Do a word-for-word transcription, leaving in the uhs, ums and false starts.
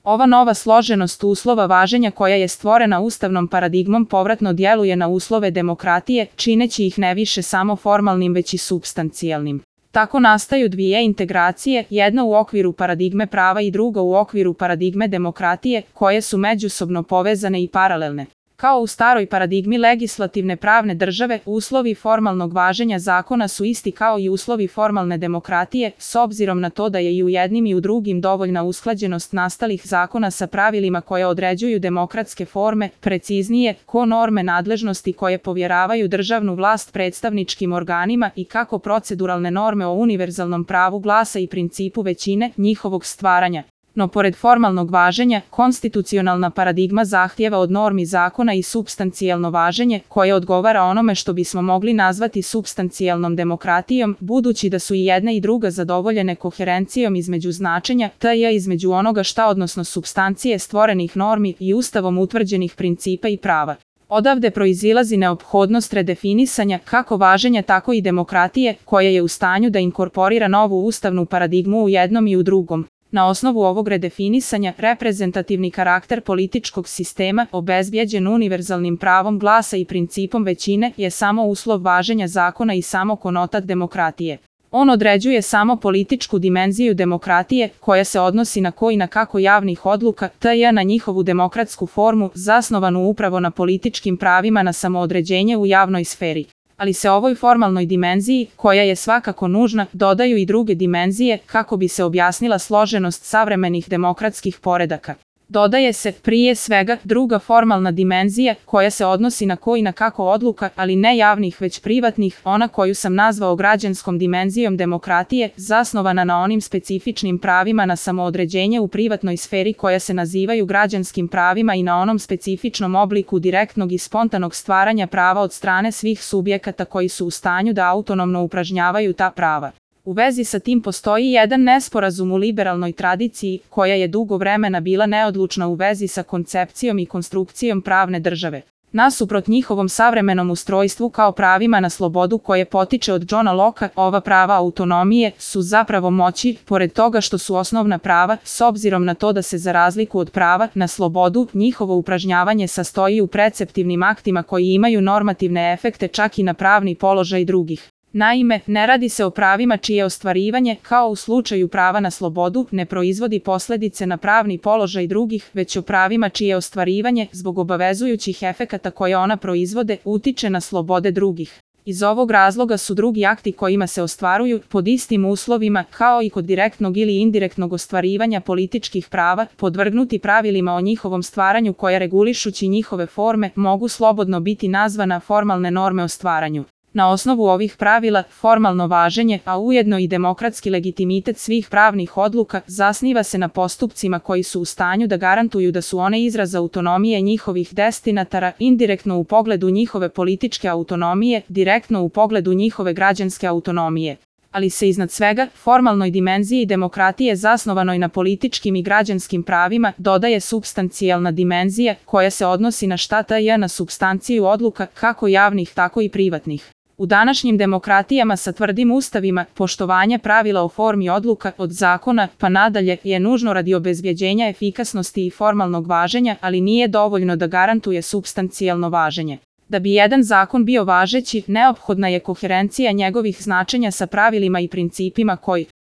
Ova nova složenost uslova važenja koja je stvorena ustavnom paradigmom povratno djeluje na uslove demokratije, čineći ih ne više samo formalnim već i supstancijalnim. Tako nastaju dvije integracije, jedna u okviru paradigme prava i druga u okviru paradigme demokratije, koje su međusobno povezane i paralelne. Kao u staroj paradigmi legislativne pravne države, uslovi formalnog važenja zakona su isti kao i uslovi formalne demokratije, s obzirom na to da je i u jednim i u drugim dovoljna usklađenost nastalih zakona sa pravilima koje određuju demokratske forme, preciznije, ko norme nadležnosti koje povjeravaju državnu vlast predstavničkim organima i kako proceduralne norme o univerzalnom pravu glasa i principu većine, njihovog stvaranja. No pored formalnog važenja, konstitucionalna paradigma zahtijeva od normi zakona i supstancijalno važenje, koje odgovara onome što bismo mogli nazvati supstancijalnom demokratijom, budući da su i jedna i druga zadovoljene koherencijom između značenja, t.j. između onoga šta odnosno supstancije stvorenih normi i ustavom utvrđenih principa i prava. Odavde proizilazi neophodnost redefinisanja kako važenja tako i demokratije, koja je u stanju da inkorporira novu ustavnu paradigmu u jednom i u drugom. Na osnovu ovog redefinisanja, reprezentativni karakter političkog sistema, obezbijeđen univerzalnim pravom glasa i principom većine, je samo uslov važenja zakona i samo konotat demokratije. On određuje samo političku dimenziju demokratije, koja se odnosi na ko i na kako javnih odluka, t.j. na njihovu demokratsku formu, zasnovanu upravo na političkim pravima na samoodređenje u javnoj sferi. Ali se ovoj formalnoj dimenziji, koja je svakako nužna, dodaju i druge dimenzije kako bi se objasnila složenost savremenih demokratskih poredaka. Dodaje se, prije svega, druga formalna dimenzija, koja se odnosi na ko i na kako odluka, ali ne javnih već privatnih, ona koju sam nazvao građanskom dimenzijom demokratije, zasnovana na onim specifičnim pravima na samoodređenje u privatnoj sferi koja se nazivaju građanskim pravima i na onom specifičnom obliku direktnog i spontanog stvaranja prava od strane svih subjekata koji su u stanju da autonomno upražnjavaju ta prava. U vezi sa tim postoji jedan nesporazum u liberalnoj tradiciji, koja je dugo vremena bila neodlučna u vezi sa koncepcijom i konstrukcijom pravne države. Nasuprot njihovom savremenom ustrojstvu kao pravima na slobodu koje potiče od Johna Locke, ova prava autonomije su zapravo moći, pored toga što su osnovna prava, s obzirom na to da se za razliku od prava na slobodu, njihovo upražnjavanje sastoji u preceptivnim aktima koji imaju normativne efekte čak i na pravni položaj drugih. Naime, ne radi se o pravima čije ostvarivanje, kao u slučaju prava na slobodu, ne proizvodi posljedice na pravni položaj drugih, već o pravima čije ostvarivanje, zbog obavezujućih efekata koje ona proizvode, utiče na slobode drugih. Iz ovog razloga su drugi akti kojima se ostvaruju, pod istim uslovima, kao i kod direktnog ili indirektnog ostvarivanja političkih prava, podvrgnuti pravilima o njihovom stvaranju koja regulišući njihove forme, mogu slobodno biti nazvana formalne norme o stvaranju. Na osnovu ovih pravila, formalno važenje, a ujedno i demokratski legitimitet svih pravnih odluka, zasniva se na postupcima koji su u stanju da garantuju da su one izraz autonomije njihovih destinatara, indirektno u pogledu njihove političke autonomije, direktno u pogledu njihove građanske autonomije. Ali se iznad svega, formalnoj dimenziji demokratije zasnovanoj na političkim i građanskim pravima, dodaje supstancijalna dimenzija, koja se odnosi na šta t.j. na supstanciju odluka, kako javnih tako i privatnih. U današnjim demokratijama sa tvrdim ustavima, poštovanje pravila o formi odluka, od zakona pa nadalje, je nužno radi obezbjeđenja efikasnosti i formalnog važenja, ali nije dovoljno da garantuje supstancijalno važenje. Da bi jedan zakon bio važeći, neophodna je koherencija njegovih značenja sa pravilima i principima koji